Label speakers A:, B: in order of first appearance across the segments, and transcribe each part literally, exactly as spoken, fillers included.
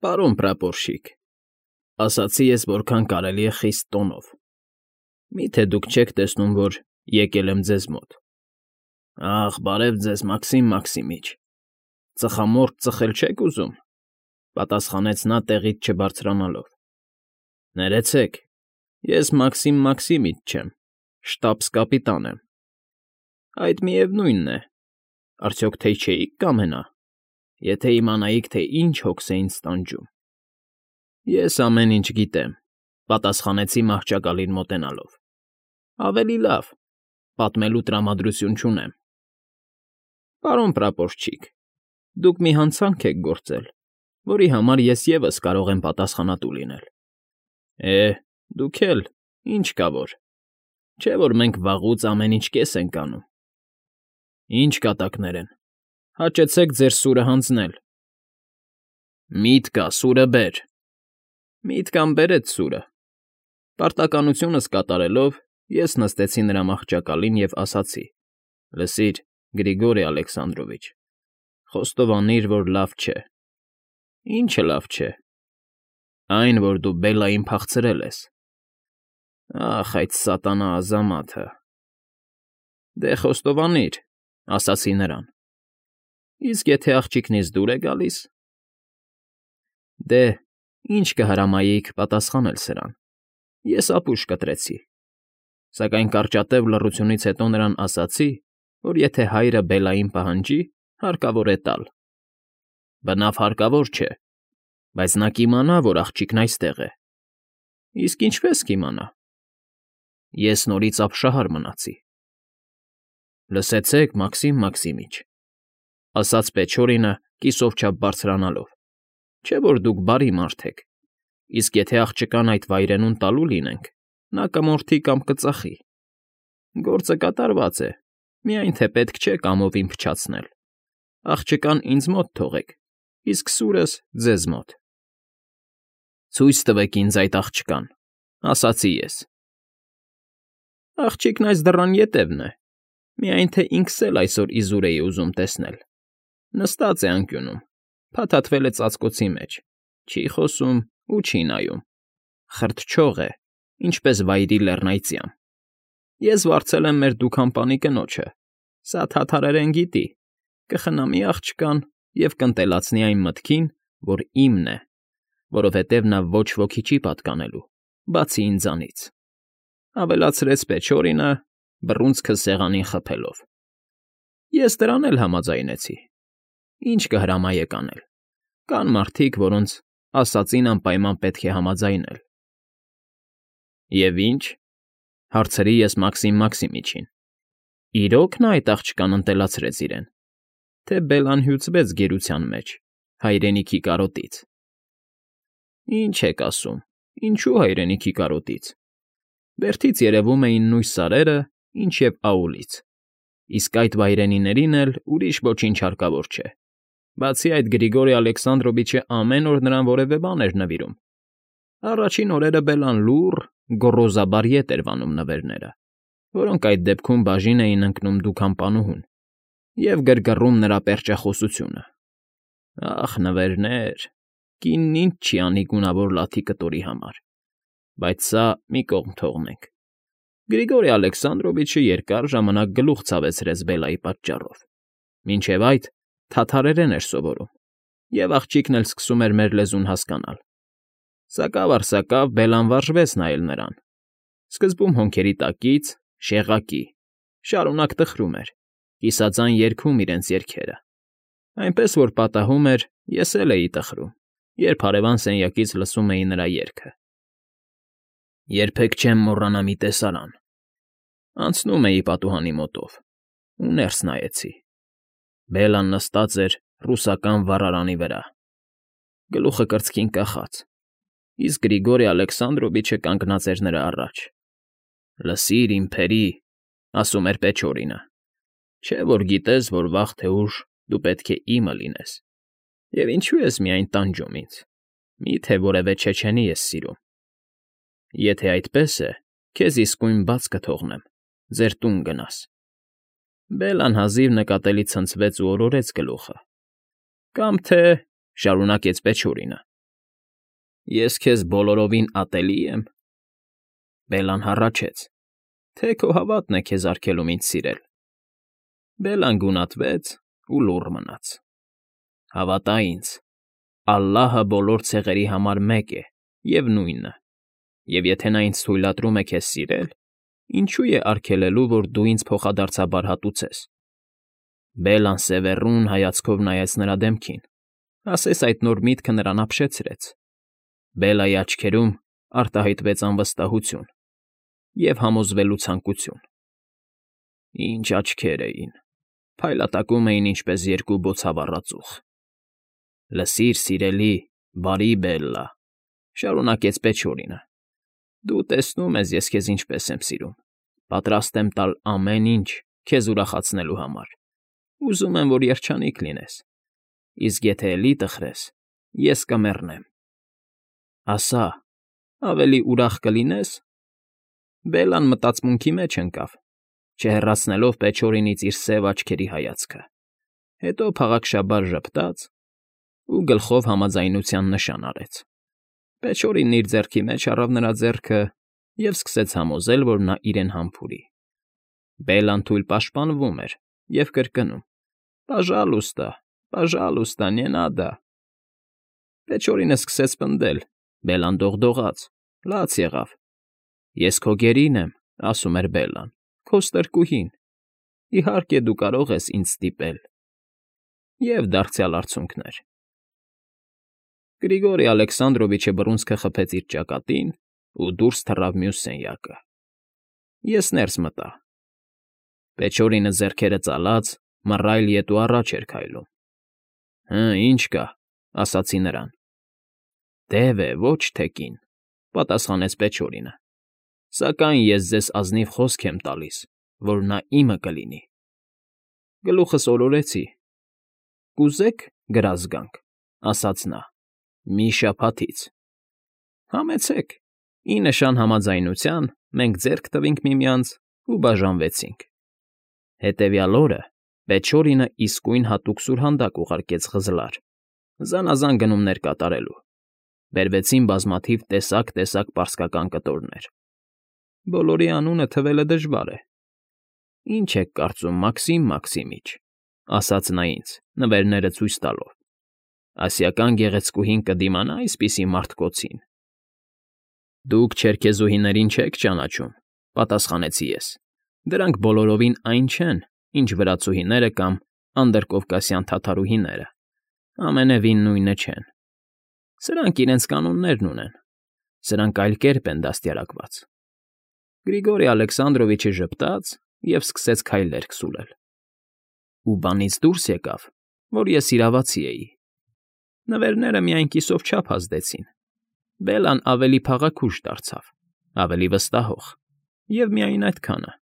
A: Պարոն պրապորշիկ, ասացի ես որքան կարելի է խիստ տոնով, մի՞թե դուք չեք տեսնում, որ եկել եմ ձեզ մոտ։ Ախ, բարև ձեզ, Մաքսիմ Մաքսիմիչ, ծխամորճ ծխել չեք ուզում,֊ պատասխանեց նա տեղից չբարձրանալով։ Ներեցեք, ես Մաքսիմ Մաքսիմիչ չեմ, շտաբս֊կապիտան եմ։ Այդ միևնույնն է, արդյոք թե չէիք կամենա, եթե իմանայիք, թե ինչ հոգս է ինձ տանջում։ Ես ամեն ինչ գիտեմ,֊ պատասխանեցի մահճակալին մոտենալով։ Ավելի լավ, պատմելու տրամադրություն չունեմ։ Պարոն պրապորչիկ, դուք մի հանցանք եք գործել, որի համար ես ևս կարող եմ պատասխանատու լինել։ Է, դուք էլ, ինչ կա որ, չէ՞ որ մենք վաղուց ամեն ինչ կես ենք անում։ Ինչ կատակներ են, հաճեցեք ձեր սուրը հանձնել։ Միտք կա, սուրը բեր։ Միտքան բերեց սուրը։ Պարտականությունս կատարելով, ես նստեցի նրա մահճակալին և ասացի. «Լսիր, Գրիգորի Ալեքսանդրովիչ, խոստովանիր, որ լավ չէ»։ Ի՞նչը լավ չէ։ Այն, որ դու Բելլային փախցրել ես։ Ախ, այդ սատանա ազամաթը։ Դե խոստովանիր,֊ ասացի նրան։ Իսկ եթե աղջիկնից դուր է գալիս։ Դե, ինչ կհրամայեիք պատասխանել սրան։ Ես ապուշ կտրեցի։ Սակայն կարճատև լռությունից հետո նրան ասացի, որ եթե հայրը Բելլային պահանջի, հարկավոր է տալ։ Բնավ հարկավոր չէ, բայց նա կիմանա, որ աղջիկն այստեղ է։ Իսկ ինչպե՞ս կիմանա։ Ես նորից ապշահար մնացի։ Լսեցեք, Մաքսիմ Մաքսիմիչ,֊ ասաց Պեչորինը կիսով չափ բարձրանալով, չէ՞ որ դուք բարի մարդ եք, իսկ եթե աղջկան այդ վայրենուն տալու լինենք, նա կմորթի կամ կծախի։ Գործը կատարված է, միայն թե պետք չէ կամովին փչացնել։ Աղջկան ինձ մոտ թողեք, իսկ սուրս ձեզ մոտ։ Ցույց տվեք ինձ այդ աղջկան,֊ ասացի ես։ Աղջիկն այս դռան ետևն է, միայն թե ինքս էլ այսօր իզուր էի ուզում տեսնել։ Նստած է անկյունում, փաթաթվել է ծածկոցի մեջ, չի խոսում ու չի նայում։ Խրտչող է, ինչպես վայրի լեռնայծյամ։ Ես վարձել եմ մեր դուքանպանի կնոջը, սա թաթարերեն գիտի, կխնամի աղջկան և կընտելացնի այն մտքին, որ իմն է, որովհետև նա ոչ ոքի չի պատկանելու, բացի ինձանից,֊ ավելացրեց Պեչորինը, բռունցքը սեղանին խփելով։ Ես դրան էլ համաձայնեցի։ Ինչ կհրամայեք անել։ Կան մարդիկ, որոնց ասածին անպայման պետք է համաձայնել։ Եվ ի՞նչ,֊ հարցրի ես Մաքսիմ Մաքսիմիչին։ Իրո՞ք նա այդ աղջկան ընտելացրեց իրեն, թե Բելլան հյուծվեց գերության մեջ, հայրենիքի կարոտից։ Ինչ եք ասում, ինչու հայրենիքի կարոտից։ Բերդից երևում էին նույն սարերը, ինչ և Աուլից, իսկ այդ վայրենիներին էլ ուրիշ ոչինչ հարկավոր չէ։ Բացի այդ Գրիգորի Ալեքսանդրովիչը ամեն օր նրան որևէ բան էր նվիրում։ Առաջին օրերը Բելլան լուռ, գոռոզաբար ետ էր վանում նվերները, որոնք այդ դեպքում բաժին էին ընկնում դուքանպանուհուն, և գրգռում նրա պերճախոսությունը։ Ախ, նվերներ, կինն ինչ չի անի գունավոր լաթի կտորի համար։ Բայց սա մի կողմ թողնենք։ Գրիգորի Ալեքսանդրովիչը երկար ժամանակ գլուխ ցավեցրեց Բելլայի պատճառով։ Մինչև այդ թաթարերեն էր սովորում, և աղջիկն էլ սկսում էր մեր լեզուն հասկանալ։ Սակավ առ սակավ Բելլան վարժվեց նայել նրան։ Սկզբում հոնքերի տակից, շեղակի, շարունակ տխրում էր, կիսածան երգում իրենց երգերը։ Այնպես որ պատահում էր, ես էլ էի տխրում, երբ հարևան սենյակից լսում էի նրա երգը։ Երբեք չեմ մոռանա մի տեսարան։ Անցնում էի պատուհանի մոտով ու ներս նայեցի։ Բելլան նստած էր ռուսական վառարանի վրա, գլուխը կրծքին կախած, իսկ Գրիգորի Ալեքսանդրովիչը կանգնած էր նրա առաջ։ Լսիր, իմ փերի,֊ ասում էր Պեչորինը, չէ՞ որ գիտես, որ վաղ թե ուշ դու պետք է իմը լինես, և ինչու ես միայն տանջում ինձ, մի՞թե որևէ չեչենի ես սիրում։ Եթե այդպես է, քեզ իսկույն բաց կթողնեմ, ձեր տուն գնաս։ Բելլան հազիվ նկատելի ցնցվեց ու օրորեց գլուխը։ Կամ թե,֊ շարունակեց Պեչորինը, Ես քեզ բոլորովին ատելի եմ։ Բելլան հառաչեց. Թե քո հավատն է քեզ արգելում ինձ սիրել։ Բելլան գունատվեց ու լուռ մնաց։ Հավատա ինձ, Ալլահը բոլոր ցեղերի համար մեկ է և նույնը, և եթե նա ինձ թույլատրում է քեզ սիրել, ինչո՞ւ է արգելելու, որ դու ինձ փոխադարձաբար հատուցես։ Բելլան սևեռուն հայացքով նայեց նրա դեմքին, ասես այդ նոր միտքը նրան ապշեցրեց։ Բելլայի աչքերում արտահայտվեց անվստահություն և համոզվելու ցանկություն։ Ինչ աչքեր էին, փայլատակում էին ինչպես երկու բոցավառ ծուխ։ Լսիր, սիրելի, բարի Բելլա, շարունակեց Պեչորինը, դու տեսնում ես ես քեզ ինչպես եմ սիրում, պատրաստ եմ տալ ամեն ինչ քեզ ուրախացնելու համար, ուզում եմ, որ երջանիկ լինես, իսկ եթե էլի տխրես, ես կմեռնեմ։ Ասա, ավելի ուրախ կլինե՞ս։ Բելլան մտածմունքի մեջ ընկավ, չհեռացնելով Պեչորինից իր սև աչքերի հայացքը, հետո փաղաքշաբար ժպտաց ու գլխով համաձայնության նշան արեց։ Պեչորինն իր ձեռքի մեջ առավ նրա ձեռքը և սկսեց համոզել, որ նա իրեն համբուրի։ Բելլան թույլ պաշտպանվում էր և կրկնում. «Պաժալուստա, պաժալուստա, նե նադա»։ Պեչորինը սկսեց պնդել, Բելլան դողդողաց, լաց եղավ։ «Ես քո գերին եմ», ասում էր Բելլան, «քո ստրկուհին, իհարկե դու կարող ես ինձ ստիպել»։ Եվ դարձյալ արցունքներ։ Գրիգորի Ալեքսանդրովիչը բռունցքը խփեց իր ճակատին ու դուրս թռավ մյուս սենյակը։ Ես ներս մտա։ Պեչորինը ձեռքերը ծալած, մռայլ ետ ու առաջ էր քայլում։ Հը, ինչ կա, ասացի նրան։ Դև է, ոչ թե կին, պատասխանեց Պեչորինը։ Սակայն ես ձեզ ազնիվ խոսք եմ տալիս, որ նա իմը կլինի։ Գլուխս օրորեցի։ Կուզե՞ք գրազ գանք, ասաց նա, մի շաբաթից։ Համեցեք։ Ի նշան համաձայնության մենք ձեռք տվինք միմյանց ու բաժանվեցինք։ Հետևյալ օրը Պեչորինը իսկույն հատուկ սուրհանդակ ուղարկեց Խզլար, զանազան գնումներ կատարելու։ Բերվեցին բազմաթիվ տեսակ֊տեսակ պարսկական կտորներ։ Բոլորի անունը թվելը դժվար է։ Ինչ եք կարծում, Մաքսիմ Մաքսիմիչ, ասաց նա ինձ, նվերները ցույց տալով։ Ասիական գեղեցկուհին կդիմանա այսպիսի մարդկոցին։ Դուք չերքեզուհիներին չեք ճանաչում, պատասխանեցի ես։ Դրանք բոլորովին այն չեն, ինչ վրացուհիները կամ անդրկովկասյան թաթարուհիները։ Ամենևին նույնը չեն։ Սրանք իրենց կանոններն ունեն։ Սրանք այլ կերպ են դաստիարակված։ Գրիգորի Ալեքսանդրովիչը ժպտաց և սկսեց քայլեր քսուլել։ Ու բանից դուրս եկավ, որ ես իրավացի էի։ Նվերները միայն կիսով չափ ազդեցին։ Բելլան ավելի փաղաքուշ դարձավ, ավելի վստահող, և միայն այդքանը։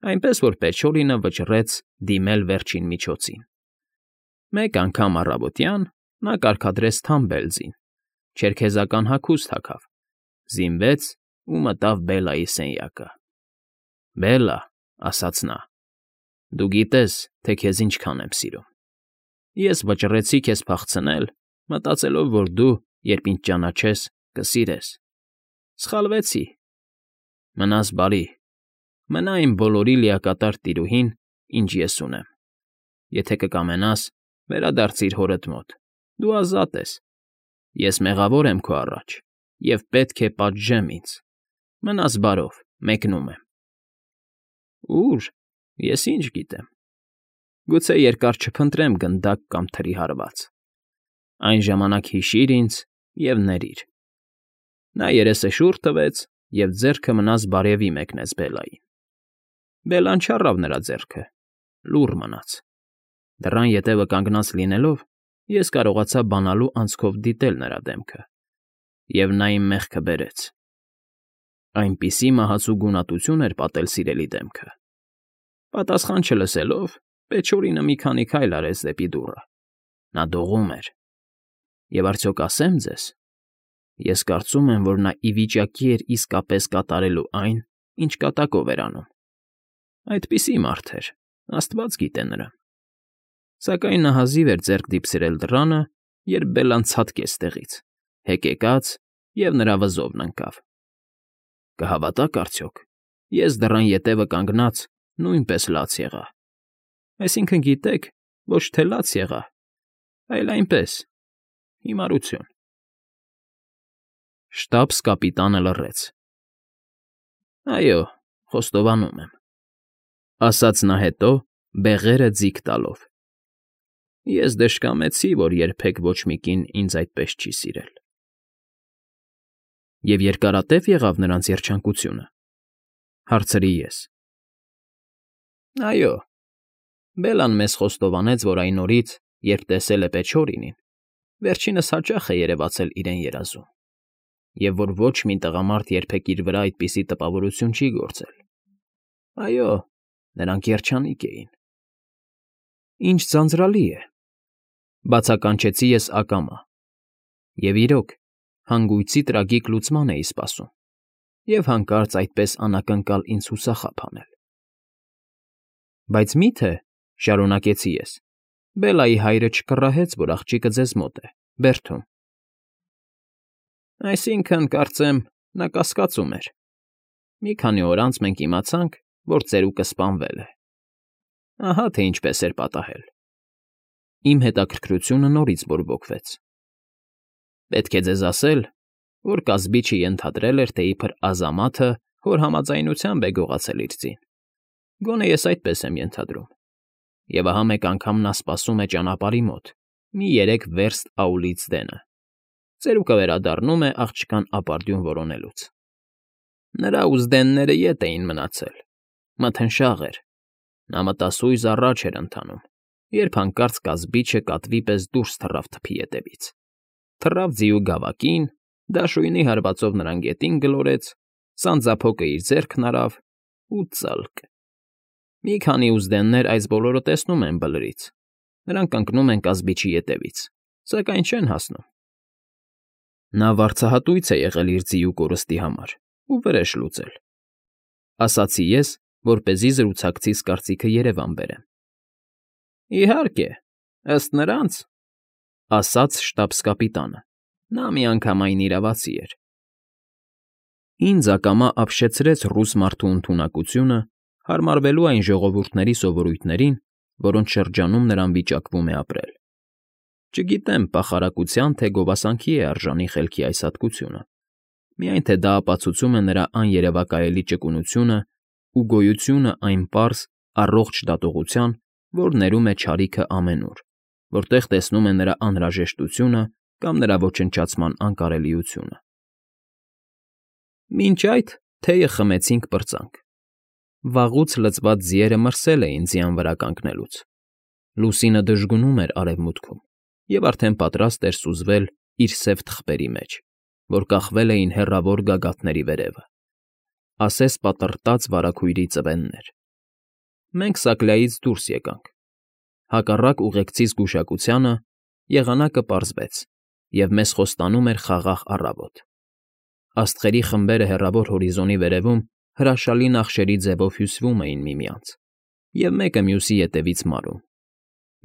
A: Այնպես որ Պեչորինը վճռեց դիմել վերջին միջոցին։ Մեկ անգամ առավոտյան նա կարգադրեց թամբելձին, չերքեզական հագուստ հագավ, զինվեց ու մտավ Բելլայի սենյակը։ Բելլա, ասաց նա, դու գիտես, թե քեզ ինչքան եմ սիրում։ Ես վճռեցի քեզ փախցնել, մտածելով, որ դու, երբ ինձ ճանաչես, կսիրես։ Սխալվեցի։ Մնաս բարի։ Մնա իմ բոլորի լիակատար տիրուհին, ինչ ես ունեմ։ Եթե կկամենաս, վերադարձիր հորդ մոտ։ Դու ազատ ես։ Ես մեղավոր եմ քո առաջ և պետք է պատժեմ ինձ։ Մնաս բարով, մեկնում եմ։ Ո՞ւր, ես ինչ գիտեմ։ Գուցե երկար չփնտրեմ գնդակ կամ թրի հարված։ Այն ժամանակ հիշիր ինձ և ներիր։ Նա երեսը շուռ տվեց և ձեռքը մնաս բարևի մեկնեց Բելլային։ Բելլան չառավ նրա ձեռքը, լուռ մնաց։ Դռան ետևը կանգնած լինելով, ես կարողացա բանալու անցքով դիտել նրա դեմքը, և նա իմ մեղքը բերեց։ Այնպիսի մահացու գունատություն էր պատել սիրելի դեմքը։ Պատասխան չլսելով, Պեչորինը մի քանի քայլ արեց դեպի դուռը։ Նա դողում էր։ Եվ արդյոք ասեմ ձեզ, ես կարծում եմ, որ նա ի վիճակի էր իսկապես կատարելու այն, ինչ կատակով էր անում։ Այդպիսի մարդ էր, աստված գիտե նրան։ Սակայն նա հազիվ էր ձեռք դիպսիրել դռանը, երբ Բելլան ցատկեց տեղից, հեկեկաց և նրա վզովն ընկավ։ Կհավատա՞ք արդյոք, ես դռան ետևը կանգնած նույնպես լաց եղա, այսինքն, գիտեք, ոչ թե լաց եղա, այլ այնպես, հիմարություն… Շտաբս֊կապիտանը լռեց։ Այո, խոստովանում եմ, ասաց նա հետո, բեղերը ձիգ տալով. ես դժկամեցի, որ երբեք ոչ մի կին ինձ այդպես չի սիրել։ Եվ երկարատե՞վ եղավ նրանց երջանկությունը, հարցրի ես։ Այո, Բելլան մեզ խոստովանեց, որ այն օրից, երբ տեսել է Պեչորինին, վերջինս հաճախ է երևացել իրեն երազում, և որ ոչ մի տղամարդ երբեք իր վրա այդպիսի տպավորություն չի գործել։ Այո, նրանք երջանիկ էին։ Ինչ ձանձրալի է, բացականչեցի ես ակամա, և իրոք, հանգույցի տրագիկ լուծման էի սպասում, և հանկարծ այդպես անակնկալ ինձ հուսախաբ հանել։ Բայց մի՞թե, շարունակեցի ես, Բելլայի հայրը չկռահեց, որ աղջիկը ձեզ մոտ է, բերդում։ Այսինքն, կարծեմ, նա կասկածում էր։ Մի քանի օր անց մենք իմացանք, որ ծերուկը սպանվել է։ Ահա թե ինչպես էր պատահել։ Իմ հետաքրքրությունը նորից բորբոքվեց։ Պետք է ձեզ ասել, որ կազբիչը ենթադրել էր, թե իբր Ազամաթը հոր համաձայնությամբ է գողացել իր ձին, գոնե ես այդպես եմ ենթադրում, և ահա մեկ անգամ նա սպասում է ճանապարհի մոտ, մի երեք վերստ Աուլից դենը, ծերուկը վերադառնում է աղջկան ապարդյուն որոնելուց։ Նրա ուզդենները ետ էին մնացել, մթնշաղ էր, նա մտասույզ առաջ էր ընթանում, երբ հանկարծ կազբիչը կատվի պես դուրս թռավ թփի ետևից, թռավ ձիու գավակին, դաշույնի հարվածով նրան գետին գլորեց, սանձափոկը իր ձեռքն արավ ու ծլկ… Մի քանի ուզդեններ այս բոլորը տեսնում են Բլրից, նրանք ընկնում են կազբիչի ետևից, սակայն չեն հասնում։ Նա վարձահատույց է եղել իր ձիու կորստի համար ու վրեժ լուծել, ասացի ես, որպեսզի զրուցակցիս կարծիքը երևան բերեմ։ Իհարկե, ըստ նրանց, ասաց շտաբս֊կապիտանը, նա միանգամայն իրավացի էր։ Ինձ ակամա ապշեցրեց ռուս մարդու ընդունակությունը, հարմարվելու այն ժողովուրդների սովորույթներին, որոնց շրջանում նրան վիճակվում է ապրել։ Չգիտեմ պախարակության, թե գովասանքի է արժանի խելքի այս հատկությունը, միայն թե դա ապացուցում է նրա աներևակայելի ճկունությունն ու գոյությունը այն պարզ, առողջ դատողության, որ ներում է չարիքը ամենուր, որտեղ տեսնում է նրա անհրաժեշտությունը կամ նրա ոչնչացման անկարելիությունը։ Մինչ այդ թեյը խմեցինք պրծանք։ Վաղուց լցված ձիերը մրսել էին ձյան վրա կանգնելուց։ Լուսինը դժգունում էր արևմուտքում և արդեն պատրաստ էր սուզվել իր սև թխվերի մեջ, որ կախվել էին հեռավոր գագաթների վերևը, ասես պատռտած վարագույրի ծվեններ։ Մենք Սակլայից դուրս եկանք։ Հակառակ ուղեկցի զգուշակությանը եղանակը պարզվեց, և մեզ խոստանում էր խաղաղ առավոտ։ Աստղերի խմբերը հեռավոր հորիզոնի վերևում հրաշալի նախշերի ձևով հյուսվում էին միմյանց և մեկը մյուսի ետևից մարում,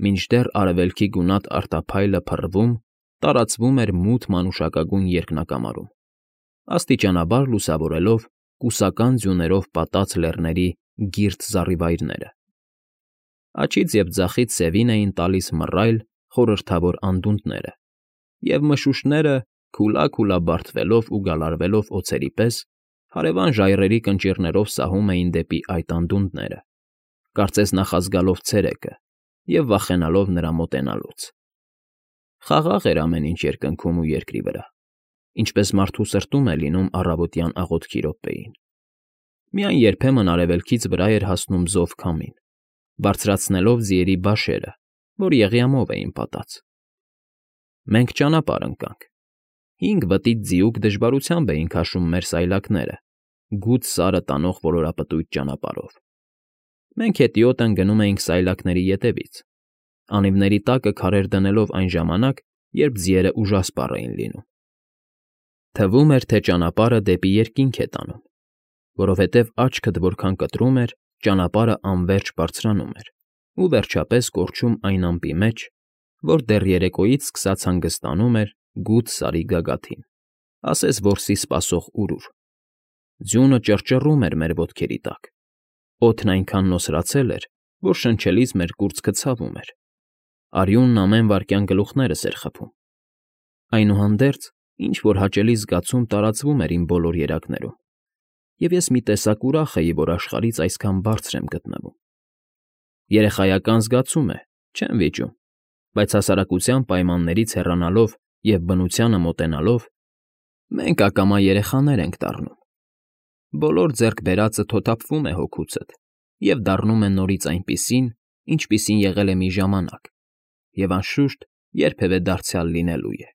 A: մինչդեռ արևելքի գունատ արտափայլը փռվում, տարածվում էր մութ մանուշակագույն երկնակամարում, աստիճանաբար լուսավորելով կուսական ձյուներով պատած լեռների գիրց զառիվայրները։ Աջից և ձախից սևին էին տալիս մռայլ, խորհրդավոր անդունդները, և մշուշները, քուլա֊քուլա բարդվելով ու գալարվելով օձերի պես, հարևան ժայռերի կնճիռներով սահում էին դեպի այդ անդունդները, կարծես նախազգալով ցերեկը և վախենալով նրա մոտենալուց։ Խաղաղ էր ամեն ինչ երկնքում ու երկրի վրա, ինչպես մարդու սրտում է լինում առավոտյան աղոթքի րոպեին։ Միայն երբեմն արևելքից վրա էր հասնում զով քամին, բարձրացնելով ձիերի բաշերը, որ եղյամով էին պատած։ Մենք ճանապարհ ընկանք։ Հինգ վտիտ ձիուկ դժվարությամբ էին քաշում մեր սայլակները, գութ սարը տանող ոլորապտույտ ճանապարհով։ Մենք հետիոտն գնում էինք սայլակների ետևից, անիվների տակը քարեր դնելով այն ժամանակ, երբ ձիերը ուժասպառ էին լինում։ Թվում էր, թե ճանապարհը դեպի երկինք է տանում, որովհետև աչքդ որքան կտրում էր, ճանապարհը անվերջ բարձրանում էր ու վերջապես կորչում այն ամպի մեջ, որ դեռ երեկոյից սկսած հանգստանում էր գութ սարի գագաթին, ասես որսի սպասող urուր։ Ձյունը ճռճռում էր մեր ոտքերի տակ, օդն այնքան նոսրացել էր, որ շնչելիս մեր կուրծքը ցավում էր, արյունն ամեն վայրկյան գլուխներս էր խփում։ Այնուհանդերձ ինչ֊որ հաճելի զգացում տարածվում էր իմ բոլոր երակներում, և ես մի տեսակ ուրախ էի, որ աշխարհից այսքան բարձր եմ գտնվում։ Երեխայական զգացում է, չեմ վիճում, բայց հասարակության պայմաններից հեռանալով և բնությանը մոտենալով՝ մենք ակամա երեխաներ ենք դառնում։ Բոլոր ձեռք բերածը թոթափվում է հոգուցդ և դառնում է նորից այնպիսին, ինչպիսին եղել է մի ժամանակ և, անշուշտ, երբևէ դարձյալ լինելու է։